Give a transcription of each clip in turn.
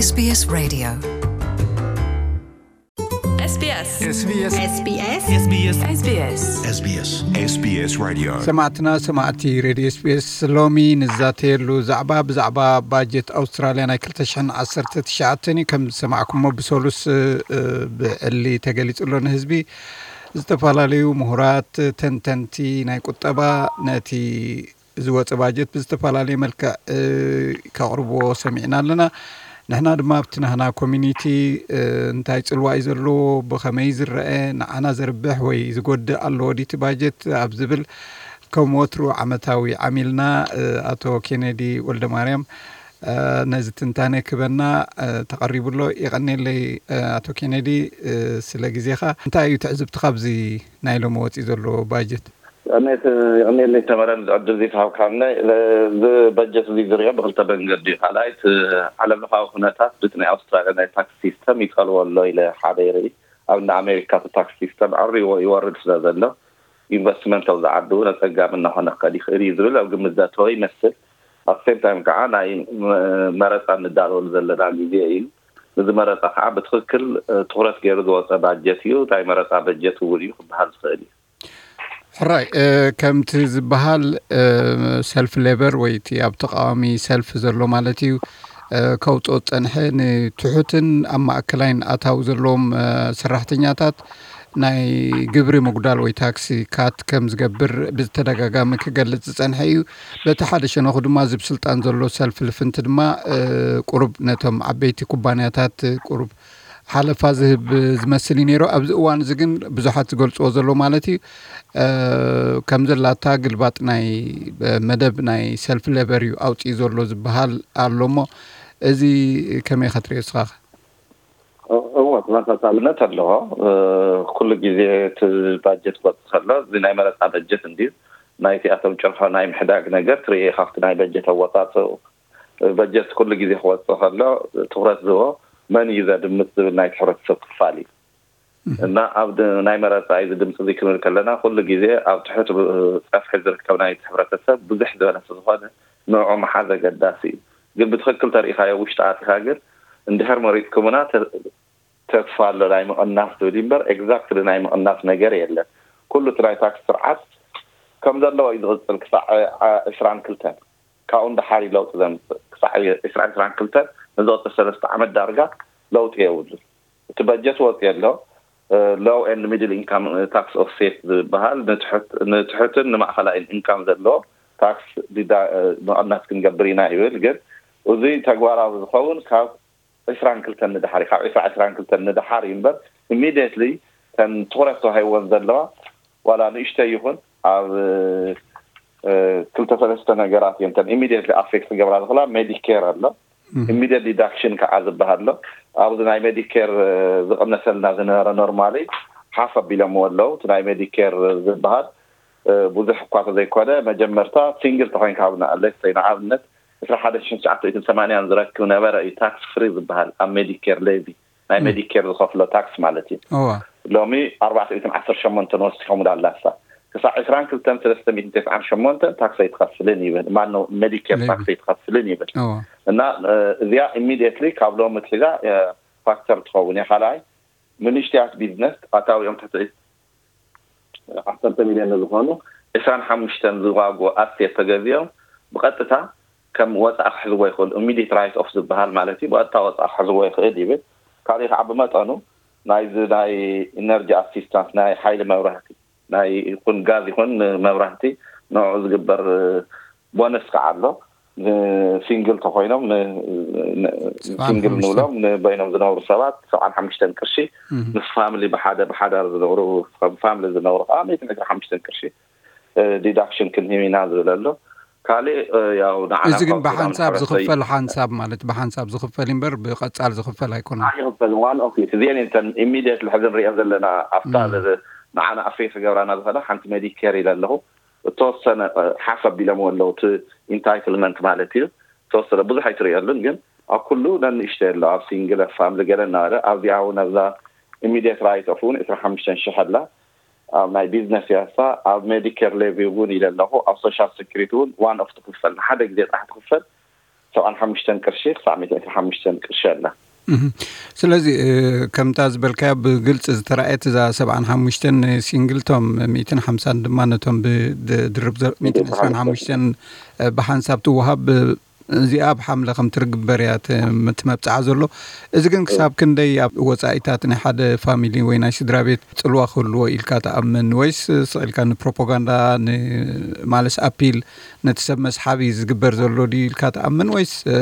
SBS Radio. SBS. SBS. SBS. SBS. SBS. SBS. SBS. SBS Radio. ሰማዕትና ሰማዕቲ ሬድዮ SBS፣ ሎሚ ንዛተየሉ ዛዕባ ብዛዕባ ባጀት ኣውስትራልያ ናይ ክልተ ሽሕን ዓሰርተ ትሽዓተን እዩ። ከም ዝሰማዕኩሞ ብሰሉስ፣ እ፣ ብዕሊ ተገሊጹ ኣሎ ንህዝቢ። ዝተፈላለዩ ምሁራት፣ ተንተንቲ ናይ ቁጠባ ነቲ ዝወፀ ባጀት ብዝተፈላለየ መልክዕ፣ እ፣ ከቕርብዎ ሰሚዕና ኣለና። ንሕና ድማ ኣብቲ ናህና ኮሚኒቲ፣ እ፣ እንታይ ፅልዋ እዩ ዘለዎ፣ ብኸመይ ዝረአ፣ ንዓና ዘርብሕ ወይ ዝጎድእ ኣለዎ ድዩ እቲ ባጀት ኣብ ዝብል ከም ወትሩ ዓመታዊ ዓሚልና፣ እ፣ ኣቶ ኬነዲ ወልደማርያም፣ እ፣ ነዚ ትንታነ ክበና፣ እ፣ ተቐሪቡ ኣሎ። የቐኔለይ፣ እ፣ ኣቶ ኬነዲ፣ እ፣ ስለ ግዜኻ። እንታይ እዩ ትዕዝብትኻ ኣብዚ ናይ ሎሚ ወፂኡ ዘሎ ባጀት? የቐኔት-፣ የቐኔለይ ተመረ፣ ንዚ ዕድል እዚ ተሃብካኒ። እዚ በጀት እዚ ዝሪኦ ብክልተ መንገዲ እዩ። ካልኣይ፣ እቲ ዓለም ለኻዊ ኩነታት ብቲ ናይ ኣውስትራልያ ናይ ታክስ ሲስተም ይጸልዎ ኣሎ ኢለ ሓደ ይርኢ። ኣብ እንዳ ኣሜሪካ እቲ ታክስ ሲስተም ኣዕሪዎ ይወርድ ስለ ዘሎ፣ ኢንቨስትመንት ኣብዚ ዓዲ እውን ኣጸጋሚ እናኾነ ክኸድ ይኽእል እዩ ዝብል ኣብ ግምት ዘእተወ ይመስል። ኣብ ሴም ታይም ከዓ ናይ መ-፣ መረፃ እንዳለወሉ ዘለና ግዜ እዩ። እዚ መረፃ ከዓ ብትኽክል፣ እ፣ ትኹረት ገይሩ ዝወፀ ባጀት እዩ። ናይ መረፃ በጀት እውን እዩ ክበሃል ዝኽእል እዩ። ሕራይ፣ እ፣ ከምቲ ዝበሃል፣ እ፣ ሰልፍ ሌበር ወይ እቲ ኣብ ተቃዋሚ ሰልፍ ዘሎ ማለት እዩ፣ እ፣ ከውፅኦ ዝፀንሐ ንትሑትን ኣብ ማእከላይን ኣታዊ ዘለዎም፣ እ፣ ሰራሕተኛታት ናይ ግብሪ ምጉዳል ወይ ታክሲ ካት ከም ዝገብር ብተደጋጋሚ ክገልጽ ዝጸንሐ እዩ። በቲ ሓደ ሸነኹ ድማ እዚ ብስልጣን ዘሎ ሰልፍ ልፍንቲ ድማ፣ እ፣ ቁሩብ ነቶም ዓበይቲ ኩባንያታት ቁሩብ ሓለፋ ዝህብ ዝመስል እዩ ነይሩ። ኣብዚ እዋን እዚ ግን ብዙሓት ዝገልጽዎ ዘለዉ ማለት እዩ፣ እ፣ ከም ዘላታ ግልባጥ ናይ፣ እ፣ መደብ ናይ ሰልፍ ሌበር እዩ ኣውጺኡ ዘሎ ዝበሃል ኣሎ እሞ፣ እዚ ከመይ ኢኻ ትርእዮ ንስኻ? እ-፣ እወ፣ ተመሳሳልነት ኣለዎ። እ፣ ኩሉ ግዜ እቲ ባጀት ክወጽእ ከሎ፣ እዚ ናይ መረጻ በጀት እንድዩ፣ ናይቲኣቶም ጭርሖ ናይ ምሕዳግ ነገር ትርኢ፣ ካብቲ ናይ በጀት ኣወጻጽኡ። በጀት ኩሉ ግዜ ክወጽእ ከሎ፣ ትኹረት ዝህቦ መን እዩ ዘድምጽ ዝብል ናይቲ ሕብረተሰብ ክፋል እዩ። እህ። እና ኣብ ድ-፣ ናይ መረጻ እዚ ድምጺ እዚ ክንብል ከለና፣ ኩሉ ግዜ ኣብ ትሑት ብ-፣ ጸፍሒ ዝርከብ ናይቲ ሕብረተሰብ ብዙሕ ዝበለ ስለ ዝኾነ፣ ንዕኡ ምሓዝ ኣገዳሲ እዩ። ግን ብትኽክል ተሪኢኻዮ ውሽጢ ኣቲኻ ግን፣ እንድሕር መሪጽኩምና ተ-፣ ተስፋ ኣሎ ናይ ምቕናስ ዝብል እምበር፣ ኤግዛክትሊ ናይ ምቕናስ ነገር የለን። ኩሉ እቲ ናይ ታክስ ስርዓት ከም ዘለዎ እዩ ዝቕጽል ክሳዕ፣ ዓ-፣ ዕስራን ክልተን። ካብኡ ንደሓር እዩ ለውጢ ዘምጽእ። ክሳዕ ዕስራን ዕስራን ክልተን ንዝቕጽል ሰለስተ ዓመት ዳርጋ ለውጢ የብሉን። እቲ በጀት ወጺኡ ኣሎ። እ፣ ሎው ኤንድ ሚድል ኢንካም ታክስ ኦፍሴት ዝበሃል ንትሑት-፣ ንትሑትን ንማእኸላይን ኢንካም ዘለዎ ታክስ ዲዳ-፣ እ፣ ምቕናስ ክንገብር ኢና ይብል። ግን እዚ ተግባራዊ ዝኸውን ካብ ዕስራን ክልተን ንደሓር እዩ። ካብ ዕስራ ዕስራን ክልተን ንደሓር እዩ እምበር፣ ኢሚድየትሊ ተን ትኹረት ተዋሂብወን ዘለዋ ዋላ ንእሽተይ ይኹን ኣብ፣ እ፣ ክልተ ሰለስተ ነገራት እየን ተን ኢሚድየትሊ ኣፌክት ክገብራ ዝኽእላ። ሜዲኬር ኣሎ፣ እም። ኢሚድየት ዲዳክሽን ከዓ ዝበሃል ኣሎ። ኣብዚ ናይ ሜዲኬር፣ እ፣ ዝቕነሰልና ዝነበረ ኖርማሊ ሓፍ ኣቢሎምዎ ኣለዉ። እቲ ናይ ሜዲኬር ዝበሃል፣ እ፣ ብዙሕ እኳ ተዘይኮነ፣ መጀመርታ ሲንግል ተኾይንካ ኣብ ና-፣ ሌትስ ሰይ ንኣብነት ዕስራ ሓደ ሽሕን ትሽዓተ ሚእትን ሰማንያን ዝረክብ ነበረ እዩ ታክስ ፍሪ ዝበሃል ኣብ ሜዲኬር ሌቪ፣ ናይ እም። ሜዲኬር ዝኸፍሎ ታክስ ማለት እዩ። እዋ። ሎሚ ኣርባዕተ ሚእትን ዓሰርተ ሸሞንተን ወሲኾም ዳላሳ። ክሳዕ ዕስራን ክልተን ሰለስተ ሚእትን ተስዓን ሸሞንተን ታክስ ኣይትኸፍልን ይብል። ማነው ሜዲኬር ሌቪ። ታክስ ኣይትኸፍልን ይብል። እዋ። እና፣ እ፣ እዚኣ ኢሚድየትሊ ካብ ሎሚ ትሒዛ፣ እ፣ ፋክተር ትኸውን እያ። ካልኣይ፣ ንንእሽተያት ቢዝነስ ኣታዊኦም ትሕቲ ዓሰርተ ሚልዮን ንዝኾኑ ዕስራን ሓሙሽተን ዝዋግኡ ኣሴት ተገዚኦም ብቐጥታ ከም ወፃኢ ክሕዝዎ ይኽእሉ። ኢሚዲየት ራይት ኦፍ ዝበሃል ማለት እዩ። ብቐጥታ ወፃኢ ክሕዝዎ ይኽእል ይብል። ካልእ ከዓ ብመጠኑ ናይዚ ናይ ኢነርጂ ኣሲስታንስ፣ ናይ ሓይሊ መብራህቲ፣ ናይ ይኹን ጋዝ ይኹን መብራህቲ ንዕኡ ዝግበር ቦነስ ከዓ ኣሎ። ንሲንግል ተኾይኖም፣ ን-፣ ን-፣ ሰብዓን ሓሙሽተን። ሲንግል ንብሎም ንበይኖም ዝነብሩ ሰባት ሰብዓን ሓሙሽተን ቅርሺ፣ እህ። ምስ ፋሚሊ ብሓደ ብሓዳር ዝነብሩ፣ ከም ፋሚሊ ዝነብሩ ከዓ ሚእትን ዕስራን ሓሙሽተን ቅርሺ፣ እ፣ ዲዳክሽን ክንህብ ኢና ዝብል ኣሎ። ካልእ፣ እ፣ ያው ንዓና እዚ ግን ካብ ሱዳን ብሓንሳብ ሕብረተሰብ ዝኽፈል ሓንሳብ ማለት ብሓንሳብ ዝኽፈል እምበር ብቐጻል ዝኽፈል ኣይኮነን። ኣይኽፈልን። ዋን ኦፍ ኢት። እዚአን እየን እተን ኢሚድየትሊ ሕዚ ንሪአን ዘለና ኣብታ እም። ዝ-፣ ንዓና ኣፌክት ክገብራና ዝኽእላ ሓንቲ ሜዲኬር ኢለ ኣለኹ። እተወሰነ፣ እ፣ ሓፍ ኣቢሎምዎ ኣለዉ፣ እቲ ኢንታይትልመንት ማለት እዩ። እተወሰነ ብዙሕ ኣይትርእየሉን፣ ግን ኣብ ኩሉ ነንእሽተይ ኣሎ፣ ኣብ ሲንግል፣ ኣብ ፋምሊ ገለ እናበለ፣ ኣብዚኣ እውን ኣብዛ ኢሚድየት ራይት ኦፍ እውን ዕስራን ሓሙሽተን ሽሕ ኣላ። ኣብ ናይ ቢዝነስ እያ እሳ፣ ኣብ ሜዲኬር ሌቪ እውን ኢለ ኣለኹ፣ ኣብ ሶሻል ሴኩሪቲ እውን ዋን ኦፍ ትኽፈል፣ ንሓደ ግዜ ጥራሕ ትኽፈል። ሰብዓን ሓሙሽተን ቅርሺ ክሳዕ ሚእትን ዕስራን ሓሙሽተን ቅርሺ ኣላ። እህ። ስለዚ፣ እ፣ ከምታ ዝበልካዮ ብግልጺ ዝተራእየት እዛ ሰብዓን ሓሙሽተን ሲንግል፣ ቶም ሚእትን ሓምሳን ድማ ነቶም ብድርብ ዘ-፣ ሚእትን ዕስራን ሓሙሽተን፣ እ፣ ብሓንሳብ ትወሃብ፣ እ፣ እዚኣ ኣብ ሓምለ ከም ትርግበር እያ ት-፣ ም-፣ ትመብጽዓ ዘሎ። እዚ ግን ክሳብ ክንደይ ኣብ ወጻኢታት ናይ ሓደ ፋሚሊ ወይ ናይ ስድራ ቤት ጽልዋ ክህልዎ ኢልካ ትኣምን? ወይስ ስቕ ኢልካ ንፕሮፓጋንዳ፣ ን-፣ ማለት ኣፒል ነቲ ሰብ መስሓቢ ዝግበር ዘሎ ድዩ ኢልካ ትኣምን? ወይስ፣ እ፣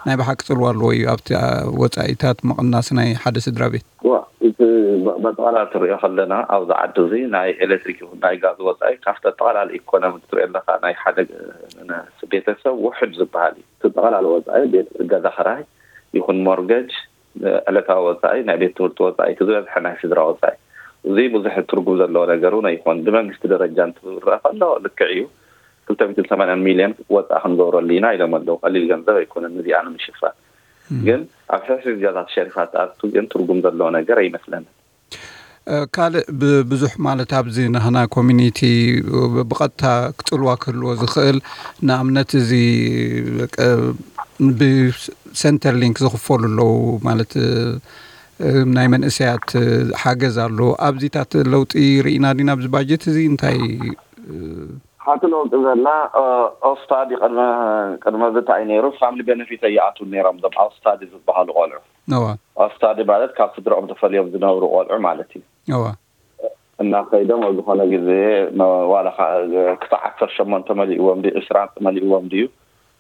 ናይ ብሓቂ ጽልዋ ኣለዎ እዩ ኣብቲ፣ እ፣ ወጻኢታት ምቕናስ ናይ ሓደ ስድራ ቤት? ዋ፣ እቲ በ-፣ በጠቕላላ ትሪኦ ከለና ኣብዚ ዓዲ እዚ ናይ ኤሌክትሪክ ይኹን ናይ ጋዝ ወጻኢ ካብቲ ኣጠቓላሊ ኢኮኖሚ ክትሪኦ ኣለኻ ናይ ሓደ፣ እ፣ ነ-፣ ቤተሰብ ውሑድ ዝበሃል እዩ። እቲ ጠቕላሊ ወጻኢ ቤት ገዛ ክራይ ይኹን ሞርገጅ፣ እ፣ ዕለታዊ ወጻኢ፣ ናይ ቤት ትምህርቲ ወጻኢ፣ እቲ ዝበዝሐ ናይ ስድራ ወጻኢ። እዚ ብዙሕ ትርጉም ዘለዎ ነገር እውን ኣይኮን። ብመንግስቲ ደረጃ እንትረአ ከሎ ልክዕ እዩ። ክልተ ሚእትን ሰማንያን ሚልዮን ወጻኢ ክንገብረሉ ኢና ኢሎም ኣለዉ። ቀሊል ገንዘብ ኣይኮነን ነዚኣ ንምሽፋን። እም። ግን ኣብ ሕስር ገዛ ተሸሪፋ ትኣቱ ግን ትርጉም ዘለዎ ነገር ኣይመስለንን። እ፣ ካልእ ብ-፣ ብዙሕ ማለት ኣብዚ ናህና ኮሚኒቲ ብ-፣ ብቐጥታ ክጽልዋ ክህልዎ ዝኽእል፣ ንኣብነት እዚ፣ እ፣ ብሰንተር ሊንክ ዝኽፈሉ ኣለዉ ማለት፣ እ፣ እ፣ ናይ መንእሰያት፣ እ፣ ሓገዝ ኣሎ። ኣብዚታት ለውጢ ርኢና ዲና ኣብዚ ባጀት እዚ እንታይ፣ እ፣ ሓንቲ ለውጢ ዘላ፣ እ፣ ኦስታዲ ቅድመ፣ ቅድመ እዚ እንታይ ነይሩ? ፋሚሊ ቤነፊት ኣይኣትዉን ነይሮም እዞም ኦስታዲ ዝበሃሉ ቆልዑ። እዋ። ኦስታዲ ማለት ካብ ስድራኦም ተፈልዮም ዝነብሩ ቆልዑ ማለት እዩ። እዋ። እናኸይዶም ኣብ ዝኾነ ግዜ ነ-፣ ዋላ ኸ-፣ ክሳዕ ዓሰርተ ሸሞንተ መሊእዎም ድዩ፣ ዕስራ መሊእዎም ድዩ፣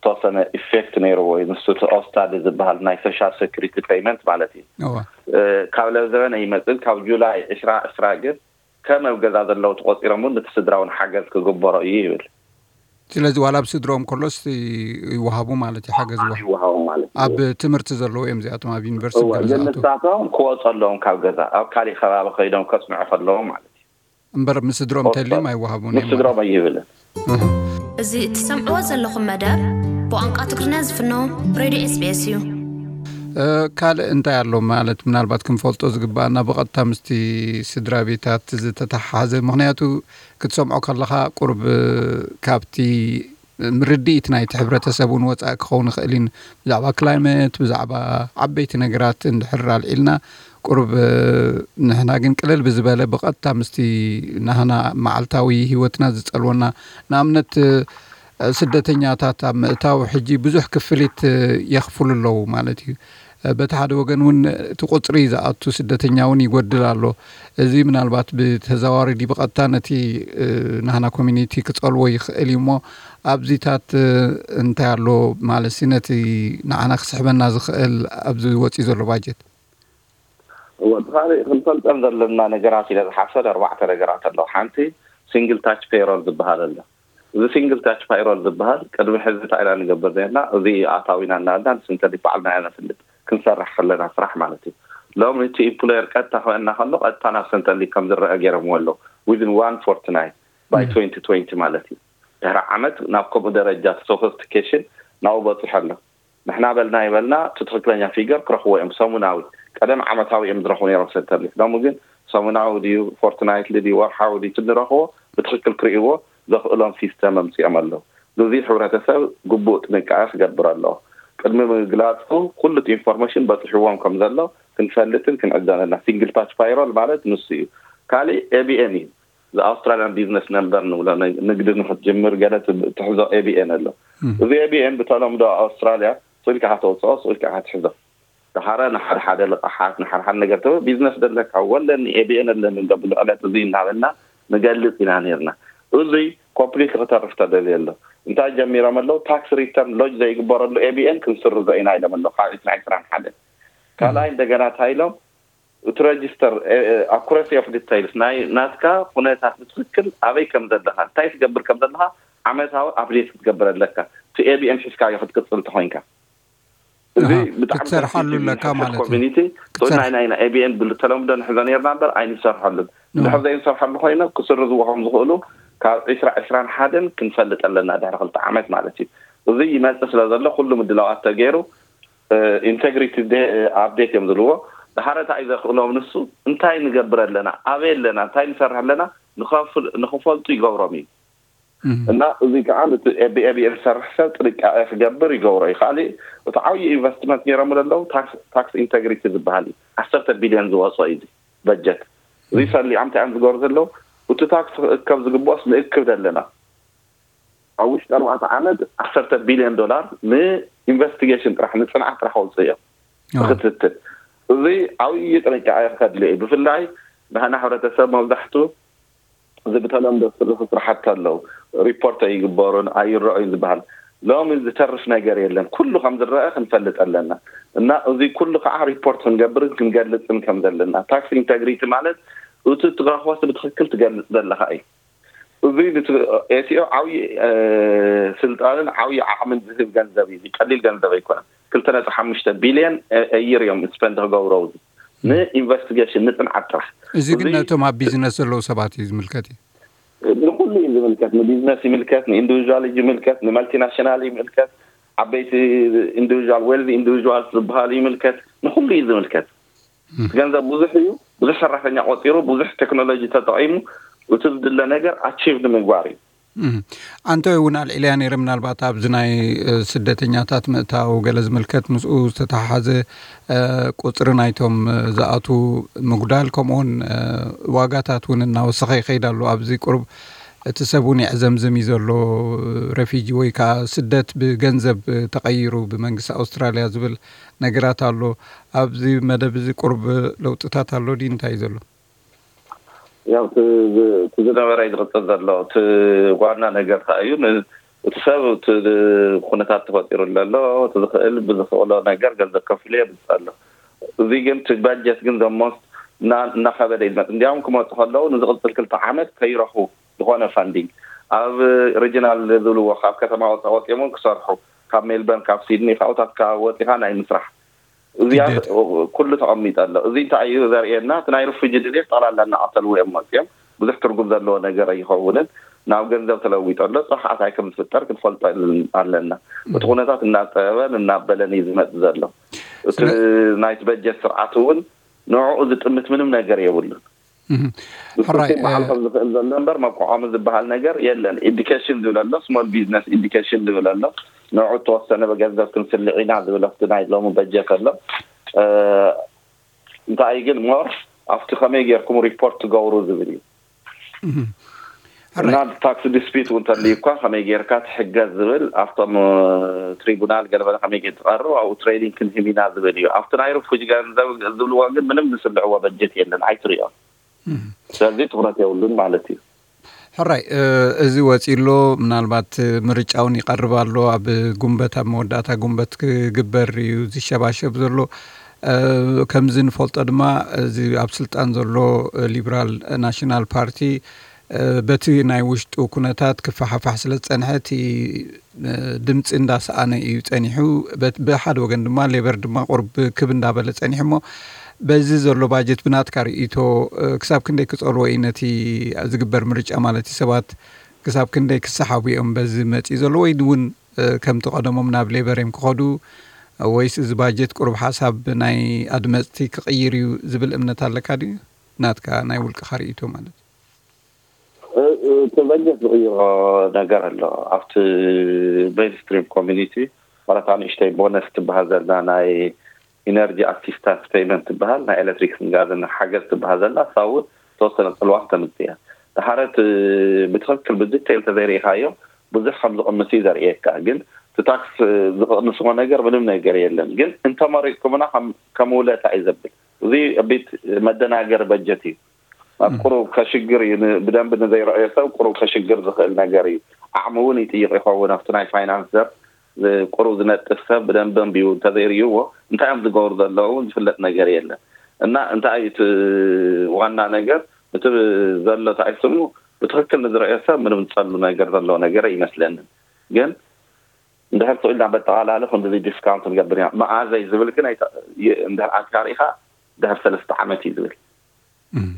ተወሰነ ኢፌክት ነይርዎ እዩ። ንሱ እቲ ኦስታዲ ዝበሃል ናይ ሶሻል ሴኩሪቲ ፔይመንት ማለት እዩ። እዋ። እ፣ ካብ ለዘበነ ይመጽእ፣ ካብ ጁላይ ዕስራ ዕስራ ግን ከም ኣብ ገዛ ዘለዉ ተቖጺሮም እውን ነቲ ስድራ እውን ሓገዝ ክግበሮ እዩ ይብል። ስለዚ ዋላ ኣብ ስድሮም ከሎስ ይወሃቡ ማለት እዩ፣ ሓገዝ ይወሃቡ። ይወሃቡ ማለት እዩ። ኣብ ትምህርቲ ዘለዉ እዮም እዚኣቶም፣ ኣብ ዩኒቨርሲቲ እወ፣ ገለ ግን ዝኣተዉ። ንሳቶም ክወጹ ኣለዎም ካብ ገዛ፣ ኣብ ካሊእ ከባቢ ከይዶም ከጽንዑ ከለዎም ማለት እዩ። እምበር ምስ ስድሮም ተልዮም ኣይወሃቡን ምስ እዮም ማለት ስድሮም እዩ። ኣይብልን። እህ። እዚ እትሰምዕዎ ዘለኹም መደብ ብቋንቋ ትግርኛ ዝፍኖ ሬድዮ ኤስ ቢ ኤስ እዩ። እ፣ ካልእ እንታይ ኣሎ ማለት ምናልባት ክንፈልጦ ዝግባኣና ብቐጥታ ምስቲ ስድራ ቤታት ዝተተሓሓዘ? ምኽንያቱ ክትሰምዖ ከለኻ ቁሩብ፣ እ፣ ካብቲ ምርድኢት ናይቲ ሕብረተሰብ እውን ወጻኢ ክኸውን ይኽእል እዩ። ብዛዕባ ክላይመት፣ ብዛዕባ ዓበይቲ ነገራት እንድሕር ኣልዒልና፣ ቁሩብ፣ እ፣ ንሕና ግን ቅልል ብዝበለ ብቐጥታ ምስቲ ናህና መዓልታዊ ህይወትና ዝጸልወና፣ ንኣብነት፣ እ፣ ስደተኛታት ኣብ ምእታው ሕጂ ብዙሕ ክፍሊት፣ እ፣ የኽፍሉ ኣለዉ ማለት እዩ። እ፣ በቲ ሓደ ወገን እውን እቲ ቁጽሪ ዝኣቱ ስደተኛ እውን ይጎድል ኣሎ። እዚ ምናልባት ብተዘዋዋሪ ድዩ ብቐጥታ ነቲ፣ እ፣ ናህና ኮሚኒቲ ክጸልዎ ይኽእል እዩ እሞ፣ ኣብዚታት፣ እ፣ እንታይ ኣሎ ማለት ሲ ነቲ ንዓና ክስሕበና ዝኽእል ኣብዚ ወጺኡ ዘሎ ባጀት? እወ፣ እቲ ካልእ ክንፈልጠን ዘለና ነገራት ኢለ ዝሓሰብ ኣርባዕተ ነገራት ኣለዉ። ሓንቲ ሲንግል ታች ፔይሮል ዝበሃል ኣሎ። እዚ ሲንግል ታች ፓይሮል ዝበሃል ቅድሚ ሕዚ እንታይ ኢና ንገብር ነርና? እዚ ኣታዊና እናበልና ንስንተሊክ ባዕልና ኢና ነፍልጥ። ክንሰርሕ ከለና ስራሕ ማለት እዩ። ሎሚ እቲ ኢምፕሎየር ቀጥታ ክበና ከሎ ቀጥታ ናብ ሰንተሊክ ከም ዝረአ ገይሮምዎ ኣለዉ። Within one fortnight፣ by Mm. twenty twenty ማለት እዩ። ድሕሪ ዓመት ናብ ከምኡ ደረጃ ሶፊስቲኬሽን ናብኡ በፂሑ ኣሎ። ንሕና በልና ይበልና እቲ ትኽክለኛ ፊገር ክረኽቦ እዮም። ሰሙናዊ፣ ቀደም ዓመታዊ እዮም ዝረኽቡ ነይሮም ሰንተሊክ። ሎሚ ግን ሰሙናዊ ድዩ፣ ፎርትናይትሊ ድዩ፣ ወርሓዊ ድዩ፣ እቲ ንረኽቦ ብትኽክል ክርእይዎ ዘኽእሎም ሲስተም ኣምፂኦም ኣለዉ። እዚ ሕብረተሰብ ግቡእ ጥንቃቐ ክገብር ኣለዎ። ቅድሚ ምግላፁ ኩሉ እቲ ኢንፎርሜሽን በፂሕዎም ከም ዘሎ ክንፈልጥን ክንዕዘን ኣለና። ሲንግል ታች ፓይሮል ማለት ንሱ እዩ። ካሊእ ኤ ቢ ኤን እዩ። እዚ ኣውስትራሊያን ቢዝነስ ነምበር ንብሎ፣ ን-፣ ንግዲ ንክትጅምር ገለ ትብ-፣ ትሕዞ ኤ ቢ ኤን ኣሎ። እም። እዚ ኤ ቢ ኤን ብተለምዶ ኣብ ኣውስትራልያ ስኢልካ ኢኻ ተውፅኦ፣ ስኢልካ ኢኻ ትሕዞ። ደሓረ ንሓደ ሓደ ልቓሓት፣ ንሓደ ሓደ ነገር ተበ-፣ ቢዝነስ ደለካ፣ ወለኒ ኤ ቢ ኤን ኣለኒ፣ እንዶ ብልዕለት እዚ እናበልና ንገልፅ ኢና ነርና። እዙይ ኮምፕሊት ክተርፍ ተደልየ ኣሎ። እንታይ ጀሚሮም ኣለዉ? ታክስ ሪተርን ሎጅ ዘይግበረሉ ኤ ቢ ኤን ክንስርዞ ኢና ኢሎም ኣለዉ፣ ካብ ዕስራ ዕስራን ሓደ። ካልኣይ እም። እንደገና እንታይ ኢሎም? እቲ ረጅስተር፣ እ፣ እ፣ ኣኩረሲ ኦፍ ዲተይልስ ናይ ናትካ ኩነታት ብትኽክል ኣበይ ከም ዘለኻ፣ እንታይ ትገብር ከም ዘለኻ ዓመታዊ ኣፕዴት ክትገብር ኣለካ። እቲ ኤ ቢ ኤን ሒዝካዮ ክትቅጽል እንተኾይንካ። እዚ ኣሃ፣ ብጣዕሚ ክትሰርሓሉ ሰንሲቲቭ እዩ ኣለካ ንሕብሕብ ማለት እዩ። ኮሚኒቲ። ክትሰርሕ- ናይ፣ ናይ፣ ናይ ኤ ቢ ኤን ብተለምዶ ንሕዞ ነርና እምበር ኣይንሰርሐሉን። ኖ። እንድሕር ዘይንሰርሐሉ ኮይነ ክስርዝዎ ከም ዝኽእሉ ካብ ዕስራ ዕስራን ሓደን ክንፈልጥ ኣለና፣ ድሕሪ ክልተ ዓመት ማለት እዩ። እዚ ይመጽእ ስለ ዘሎ ኩሉ ምድላዋት ተገይሩ፣ እ፣ ኢንቴግሪቲ ደ-፣ እ፣ ኣፕዴት እዮም ዝብልዎ። ድሓረ እንታይ እዩ ዘኽእሎም ንሱ? እንታይ ንገብር ኣለና? ኣበይ ኣለና? እንታይ ንሰርሕ ኣለና? ንኸፍል-፣ ንኽፈልጡ ይገብሮም እዩ። እና እዚ ከዓ ብኤቢኤም ዝሰርሕ ሰብ ጥንቃቄ ክገብር ይገብሮ እዩ። ካሊእ እቲ ዓብዪ ኢንቨስትመንት ነይሮም ዘለዉ ታክስ ኢንተግሪቲ ዝበሃል እዩ። ዓሰርተ ቢልዮን ዝወፅኦ እዩ በጀት። እዚ ሰሊዖም እንታይ እዮም ዝገሩ ዘለዉ? እቲ ታክስ ክእከብ ዝግብኦስ ንእክብ ዘለና ኣብ ውሽጢ ኣርባዕተ ዓመት ዓሰርተ ቢልዮን ዶላር ንኢንቨስቲጌሽን ጥራሕ ንፅንዓት ጥራሕ ከውፅእ እዮም። ክትትል እዚ ዓብዪ ጥንቃቄ ከድልዮ እዩ። ብፍላይ ንሕና ሕብረተሰብ መብዛሕቱ እዚ ብተለምዶ ዝስርሑ ስራሕቲ ኣለዉ፣ ሪፖርት ኣይግበሩን ኣይረኣዩን ዝበሃል። ሎሚ ዝተርፍ ነገር የለን። ኩሉ ከም ዝረአ ክንፈልጥ ኣለና። እና እዚ ኩሉ ከዓ ሪፖርት ክንገብርን ክንገልፅን ከም ዘለና። ታክስ ኢንተግሪቲ ማለት እቲ ትረኽቦስ ብትክክል ትገልፅ ዘለካ እዩ። እዚ ኤቲኦ ዓብዪ ስልጣንን ዓብዪ ዓቕምን ዝህብ ገንዘብ እዩ። ቀሊል ገንዘብ ኣይኮነን። ክልተ ነጥቢ ሓሙሽተ ቢልዮን እይር እዮም ስፐንድ ክገብረው ንኢንቨስቲጌሽን ንፅንዓት ጥራሕ። እዚ ግን ነቶም ኣብ ቢዝነስ ዘለዉ ሰባት እዩ ዝምልከት እዩ። ንኩሉ እዩ ዝምልከት። ንቢዝነስ ይምልከት፣ ንኢንዲቪዥዋል ይምልከት፣ ንመልቲናሽናል ይምልከት፣ ዓበይቲ ኢንዲቪዥዋል ዌልዚ ኢንዲቪዥዋል ዝበሃሉ ይምልከት። ንኩሉ እዩ ዝምልከት። ገንዘብ ብዙሕ እዩ። ብዙሕ ሰራሕተኛ ቆፂሩ፣ ብዙሕ ቴክኖሎጂ ተጠቂሙ እቲ ዝድለ ነገር ኣቺቭ ንምግባር እዩ። ኣንተ እውን ኣልዒልያ ነይረ። ምናልባት ኣብዚ ናይ ስደተኛታት ምእታው ገለ ዝምልከት ምስኡ ዝተተሓሓዘ ቁፅሪ ናይቶም ዝኣቱ ምጉዳል፣ ከምኡውን ዋጋታት እውን እናወሰኸ ይኸይድ ኣሎ። ኣብዚ ቁሩብ እቲ ሰብ እውን የዕዘምዝም እዩ ዘሎ። ረፊጂ ወይ ከዓ ስደት ብገንዘብ ተቐይሩ ብመንግስቲ ኣውስትራሊያ ዝብል ነገራት ኣሎ። ኣብዚ መደብ እዚ ቁሩብ ለውጥታት ኣሎ ድዩ? እንታይ እዩ ዘሎ? ያው እቲ ዝነበረ እዩ ዝቕፅል ዘሎ። እቲ ዋና ነገር እንታይ እዩ? እቲ ሰብ እቲ ኩነታት ተፈጢሩ ዘሎ እቲ ዝኽእል ብዝኽእሎ ነገር ገንዘብ ከፊሉ የምፅእ ኣሎ። እዚ ግን እቲ ባጀት ግን ዘሞስ እናኸበደ ይመፅ። እንዲያውም ክመፁ ከለዉ ንዝቕፅል ክልተ ዓመት ከይረኽቡ ዝኾነ ፋንዲንግ ኣብ ሪጂናል ዝብልዎ ካብ ከተማ ወፃ ወፂኦም ክሰርሑ ካብ ሜልበርን ካብ ሲድኒ ካብኡታት ካብ ወፂኻ ናይ ምስራሕ እዚኣ ኩሉ ተቐሚጠ ኣሎ። እዚ እንታይ እዩ ዘርእየና? እቲ ናይ ርፉጂ ድሌት ጠቕላላ እናቐተልዎ እዮም መፅኦም። ብዙሕ ትርጉም ዘለዎ ነገር ኣይኸውንን። ናብ ገንዘብ ተለዊጠ ኣሎ። ፅባሕ እንታይ ከም ዝፍጠር ክንፈልጦ ኣለና። እቲ ኩነታት እናፀበበን እናበለን እዩ ዝመፅ ዘሎ። እቲ ናይቲ በጀት ስርዓት እውን ንዕኡ ዝጥምት ምንም ነገር የብሉን። ብስቲ በዓል ከም ዝኽእል ዘሎ እምበር መቋቋሚ ዝበሃል ነገር የለን። ኤዱኬሽን ዝብል ኣሎ፣ ስሞል ቢዝነስ ኤዱኬሽን ዝብል ኣሎ። ንዕኡ እተወሰነ ገንዘብ ክንስልዕ ኢና ዝብል ኣብቲ ናይ ሎሚ በጀት ኣሎ። እንታይ ግን ሞር ኣብቲ ከመይ ጌርኩም ሪፖርት ትገብሩ ዝብል እዩ። እና ታክስ ዲስፒት እውን ተልዩ እኳ ከመይ ጌርካ ትሕገዝ ዝብል ኣብቶም ትሪቡናል ገለመለ ከመይ ጌር ትቐርብ ኣብኡ ትሬኒንግ ክንህብ ኢና ዝብል እዩ። ኣብቲ ናይ ርፉጅ ገንዘብ ዝብልዎ ግን ምንም ዝስልዕዎ በጀት የለን፣ ኣይትሪኦን። ስለዚ ትኩረት የብሉን ማለት እዩ። ሕራይ፣ እዚ ወፂ ኣሎ። ምናልባት ምርጫ እውን ይቐርብ ኣሎ። ኣብ ጉንበት ኣብ መወዳእታ ጉንበት ክግበር እዩ ዝሸባሸብ ዘሎ። ከምዚ ንፈልጦ ድማ እዚ ኣብ ስልጣን ዘሎ ሊብራል ናሽናል ፓርቲ በቲ ናይ ውሽጡ ኩነታት ክፈሓፋሕ ስለ ዝፀንሐ እቲ ድምፂ እንዳሰኣነ እዩ ፀኒሑ። ብሓደ ወገን ድማ ሌበር ድማ ቁርብ ክብ እንዳበለ ፀኒሑ እሞ በዚ ዘሎ ባጀት ብናትካ ርእይቶ ክሳብ ክንደይ ክፀልዎ እዩ ነቲ ዝግበር ምርጫ ማለት እዩ? ሰባት ክሳብ ክንደይ ክሰሓቡ እዮም በዚ መፂኡ ዘሎ ወይ እውን ከምቲ ቀደሞም ናብ ሌበር እዮም ክኸዱ ወይስ እዚ ባጀት ቁሩብ ሓሳብ ናይ ኣድመፅቲ ክቕይር እዩ ዝብል እምነት ኣለካ ድዩ? ናትካ ናይ ውልቅኻ ርእይቶ ማለት እዩ። እቲ በጀት ዝቕይሮ ነገር ኣሎ ኣብቲ ሜንስትሪም ኮሚኒቲ ማለት ንእሽተይ ቦነስ ትበሃል ዘላ ናይ ኢነርጂ ኣሲስታንስ ፔይመንት ትበሃል ናይ ኤሌክትሪክን ጋዝን ሓገዝ ትበሃል ዘላ እሳ እውን ተወሰነ ፅልዋ ክተምፅእ እያ። ድሓረት ብትኽክል ብዲቴይል ተዘይርኢኻዮ ብዙሕ ከም ዝቕንስ እዩ ዘርእየካ። ግን እቲ ታክስ ዝቕንስዎ ነገር ምንም ነገር የለን። ግን እንተመሪፅኩምና ከም ውለታ እዩ ዘብል። እዚ ቢት መደናገሪ በጀት እዩ። ኣብ ቁሩብ ከሽግር እዩ ብደንብ ንዘይረኣዮ ሰብ ቁሩብ ከሽግር ዝኽእል ነገር እዩ። ዓቕሚ እውን ይጥይቕ ይኸውን ኣብቲ ናይ ፋይናንስ ዘርፍ። ቁሩብ ዝነጥፍ ሰብ ብደንብ ኣንቢቡ እንተዘይርእይዎ እንታይ እዮም ዝገብሩ ዘለዉ ዝፍለጥ ነገር የለን። እና እንታይ እቲ ዋና ነገር እቲ ዘሎ እንታይ ስሙ ብትኽክል ንዝረኣዮ ሰብ ምንም ዝፀሉ ነገር ዘለዎ ነገር ኣይመስለንን። ግን እንድሕር ስቕ ኢልና በጠቓላሊ ክንድዚ ዲስካውንት ንገብር ኢና መኣዘይ ዝብል ግን እንድሕር ኣትካ ርኢኻ ድሕር ሰለስተ ዓመት እዩ ዝብል።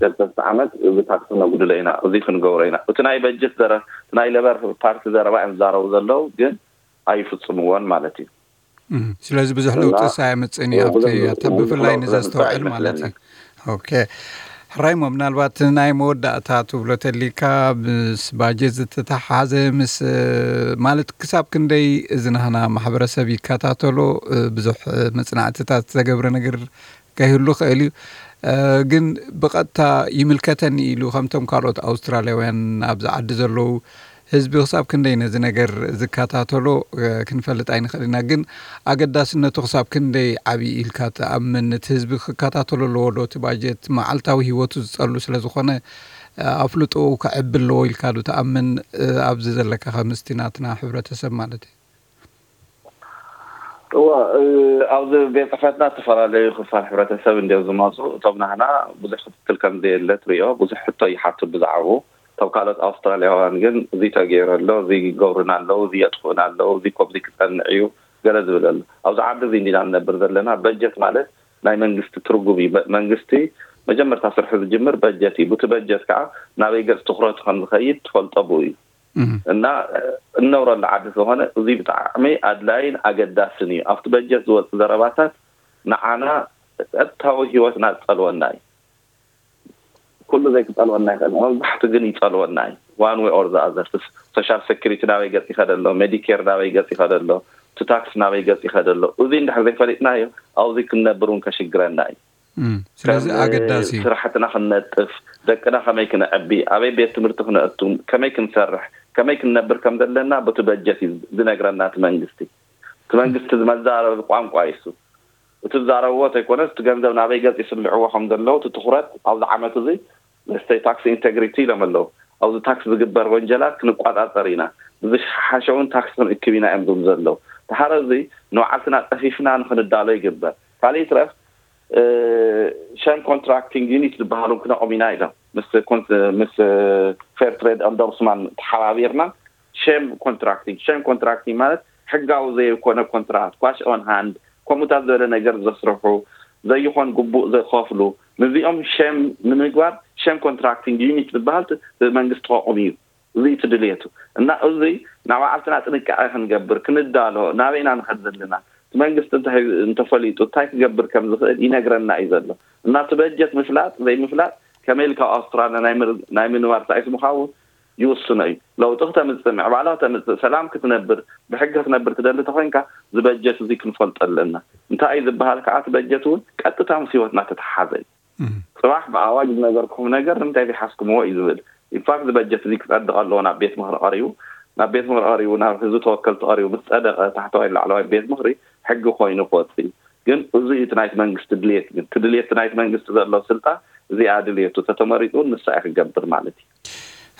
ሰለስተ ዓመት እዚ ታክሲ ነጉድሎ ኢና፣ እዚ ክንገብሮ ኢና። እቲ ናይ በጀት ዘረ ናይ ለበር ፓርቲ ዘረባ እዮም ዝዛረቡ ዘለዉ ግን ኣይፍፅምዎን ማለት እዩ። ስለዚ ብዙሕ ለውጥስ ኣየምፅእን እዩ ኣብቲ ብፍላይ ንዘስተውዕል ማለት እዩ። ኦኬ። ራይሞ፣ ምናልባት ናይ መወዳእታ ትብሎ ተሊካ፣ ምስ ባጀት ዝተተሓሓዘ፣ ምስ ማለት ክሳብ ክንደይ እዚ ናህና ማሕበረሰብ ይከታተሎ፣ ብዙሕ መጽናዕትታት ዘገብረ ነገር ከይህሉ ክእል እዩ። ግን ብቐጥታ ይምልከተኒ ኢሉ ከምቶም ካልኦት ኣውስትራልያውያን ኣብዚ ዓዲ ዘለዉ ህዝቢ ክሳብ ክንደይ ነዚ ነገር ዝከታተሎ ክንፈልጥ ኣይንኽእል ኢና። ግን ኣገዳስነቱ ክሳብ ክንደይ ዓብዪ ኢልካ ትኣምን? እቲ ህዝቢ ክከታተሎ ኣለዎ ዶ? እቲ ባጀት መዓልታዊ ህይወቱ ዝጸሉ ስለ ዝኾነ ኣፍልጦኡ ከዕቢ ኣለዎ ኢልካ ዶ ትኣምን? ኣብዚ ዘለካ ከምስቲ ናትና ሕብረተሰብ ማለት እዩ። እወ፣ ኣብዚ ቤት ጽሕፈትና ዝተፈላለዩ ክፋል ሕብረተሰብ እንዲዮም ዝመፁ። እቶም ናህና ብዙሕ ክትትል ከም ዘየለ ትሪኦ፣ ብዙሕ ሕቶ ይሓቱ ብዛዕባኡ። እቶም ካልኦት ኣውስትራልያውያን ግን እዚ ተገይሩ ኣሎ፣ እዚ ይገብሩና ኣለዉ፣ እዚ የጥፍኡና ኣለዉ፣ እዚ ከምዚ ክጸንዕ እዩ፣ ገለ ዝብል ኣሎ። ኣብዚ ዓዲ እዚ እንዲና ንነብር ዘለና። በጀት ማለት ናይ መንግስቲ ትርጉም እዩ። በ- መንግስቲ መጀመርታ ስርሑ ዝጅምር በጀት እዩ። ብቲ በጀት ከዓ ናበይ ገጽ ትኹረቱ ከም ዝኸይድ ትፈልጦ ብኡ እዩ። እና እነብረሉ ዓዲ ስለኾነ እዚ ብጣዕሚ ኣድላይን ኣገዳስን እዩ። ኣብቲ በጀት ዝወፅእ ዘረባታት ንዓና ቀጥታዊ ህይወትና ዝፀልወና እዩ። ኩሉ ዘይክፀልወና ይኽእል፣ መብዛሕቱ ግን ይፀልወና እዩ። One way or the other፣ ሶሻል ሴኩሪቲ ናበይ ገፅ ይኸደ ኣሎ፣ ሜዲኬር ናበይ ገፅ ይኸደ ኣሎ፣ እቲ ታክስ ናበይ ገፅ ይኸደ ኣሎ። እዚ እንድሕር ዘይፈሊጥናዮ ኣብዚ ክንነብር እውን ከሽግረና እዩ። እም፣ ስለዚ ከም ኣገዳሲ እዩ። ስራሕትና ክንነጥፍ፣ ደቅና ከመይ ክነዕቢ፣ ኣበይ ቤት ትምህርቲ ክነእቱ፣ ከመይ ክንሰርሕ፣ ከመይ ክንነብር ከም ዘለና በቲ በጀት እዩ ዝነግረና እቲ መንግስቲ። እቲ መንግስቲ መዛረቢ ቋንቋ እዩ እሱ። እቲ ዝዛረብዎ ተይኮነስ እቲ ገንዘብ ናበይ ገፅ ይስልዕዎ ከም ዘለዉ እቲ ትኹረት ኣብዚ ዓመት እዚ ንስተይ ታክስ ኢንቴግሪቲ ኢሎም ኣለዉ። ኣብዚ ታክስ ዝግበር ወንጀላት ክንቋፃፀር ኢና፣ ብዝሓሸ እውን ታክስ ክንእክብ ኢና እዮም ዝብሉ ዘለዉ። ድሓር እዚ ንባዕልትና ጠፊፍና ንክንዳሎ ይግበር። ካልእ ይትረፍ ሸም ኮንትራክቲንግ ዩኒት ዝበሃሉ ክነቑም ኢና ኢሎም ምስ ኮን- ምስ ፌር ትሬድ ኤንዶርስማን ተሓባቢርና ሸም ኮንትራክቲንግ ሸም ኮንትራክቲንግ ማለት ሕጋዊ ዘይኮነ ኮንትራክት ኳሽ ኦን ሃንድ ከምኡታት ዝበለ ነገር ዘስርሑ ዘይኾን ግቡእ ዝኸፍሉ ንዚኦም ሸም ንምግባር ሸም ኮንትራክቲንግ ዩኒት ዝበሃል ብመንግስቲ ከቑም እዩ። እዚ እቲ ድልየቱ እና እዚ ናብ ባዕልትና ጥንቃቄ ክንገብር ክንዳሎ ናበይና ንኸድ ዘለና እቲ መንግስቲ እንታይ እንተፈሊጡ እንታይ ክገብር ከም ዝኽእል ይነግረና እዩ ዘሎ እና እቲ በጀት ምፍላጥ ዘይምፍላጥ ከመይ ኢልካ ኣብ ኣውስትራልያ ናይ ምር- ናይ ምንባር ሳይስ ምኻውን ይውስኖ እዩ። ለውጢ ክተምፅእ ምዕባላ ክተምፅእ ሰላም ክትነብር ብሕጊ ክትነብር ትደሊ ተኮይንካ ዝበጀት እዚ ክንፈልጦ ኣለና። እንታይ እዩ ዝበሃል ከዓ እቲ በጀት እውን ቀጥታ ምስ ህይወትና ተተሓሓዘ እዩ። ጽባሕ ብኣዋጅ ዝነገርኩም ነገር ንምንታይ ዘይሓዝኩምዎ እዩ ዝብል። ኢንፋክት እዚ በጀት እዚ ክጸድቕ ኣለዎ ናብ ቤት ምኽሪ ቀሪቡ። ናብ ቤት ምኽሪ ቀሪቡ ናብ ህዝቢ ተወከልቲ ቀሪቡ ምስ ጸደቐ ታሕተዋይ ላዕለዋይ ቤት ምኽሪ ሕጊ ኮይኑ ክወጽእ እዩ። ግን እዚ እዩ እቲ ናይቲ መንግስቲ ድልየት። ግን እቲ ድልየት ናይቲ መንግስቲ ዘሎ ስልጣን እዚኣ ድልየቱ ተተመሪጡ ንሳ እዩ ክገብር ማለት እዩ።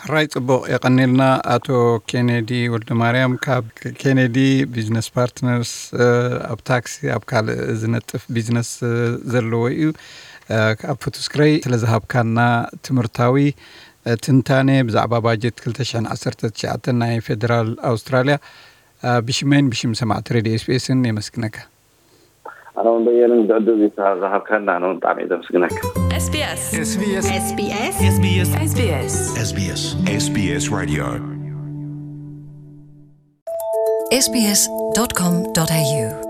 ሕራይ ጽቡቕ የቐኔልና ኣቶ ኬኔዲ ወልደ ማርያም ካብ ኬኔዲ ቢዝነስ ፓርትነርስ። ኣብ ታክሲ ኣብ ካልእ ዝነጥፍ ቢዝነስ ዘለዎ እዩ። ኣብ ፉቱስክረይ ስለ ዝሃብካና ትምህርታዊ ትንታኔ ብዛዕባ ባጀት ክልተ ሽሕን ዓሰርተ ትሽዓተን ናይ ፌደራል ኣውስትራልያ ብሽመይን ብሽም ሰማዕቲ ሬድዮ ኤስቢኤስን የመስግነካ። ኣነ እውን በየንን ብዕድል ዝሃብካና ኣነ እውን ብጣዕሚ እየ ዘመስግነካ። SBS SBS SBS SBS SBS Radio SBS dot com dot A U